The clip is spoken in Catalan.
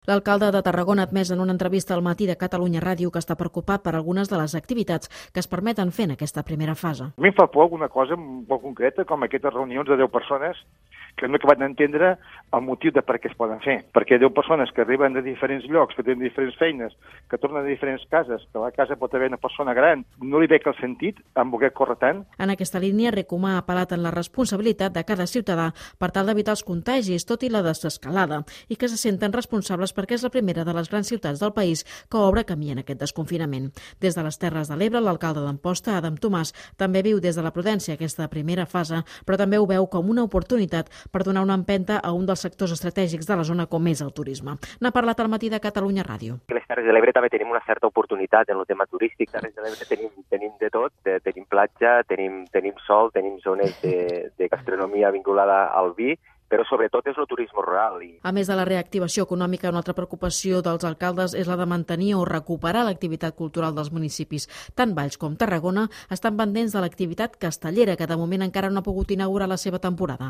L'alcalde de Tarragona ha admès en una entrevista al Matí de Catalunya Ràdio que està preocupat per algunes de les activitats que es permeten fer en aquesta primera fase. A mi em fa por alguna cosa molt concreta, com aquestes reunions de 10 persones que no he acabat d'entendre el motiu de per què es poden fer. Perquè 10 persones que arriben de diferents llocs, que tenen diferents feines, que tornen de diferents cases, que a la casa pot haver una persona gran, no li veig el sentit en voler córrer tant. En aquesta línia, Recomà ha apel·lat en la responsabilitat de cada ciutadà per tal d'evitar els contagis, tot i la desescalada, i que se senten responsables perquè és la primera de les grans ciutats del país que obre camí en aquest desconfinament. Des de les Terres de l'Ebre, l'alcalde d'Amposta, Adam Tomàs, també viu des de la prudència aquesta primera fase, però també ho veu com una oportunitat per donar una empenta a un dels sectors estratègics de la zona com és el turisme. N'ha parlat al Matí de Catalunya Ràdio. A les Terres de l'Ebre també tenim una certa oportunitat en el tema turístic. A les Terres de l'Ebre tenim de tot, tenim platja, tenim sol, tenim zones de gastronomia vinculada al vi, però sobretot és el turisme rural. A més de la reactivació econòmica, una altra preocupació dels alcaldes és la de mantenir o recuperar l'activitat cultural dels municipis. Tant Valls com Tarragona estan pendents de l'activitat castellera, que de moment encara no ha pogut inaugurar la seva temporada.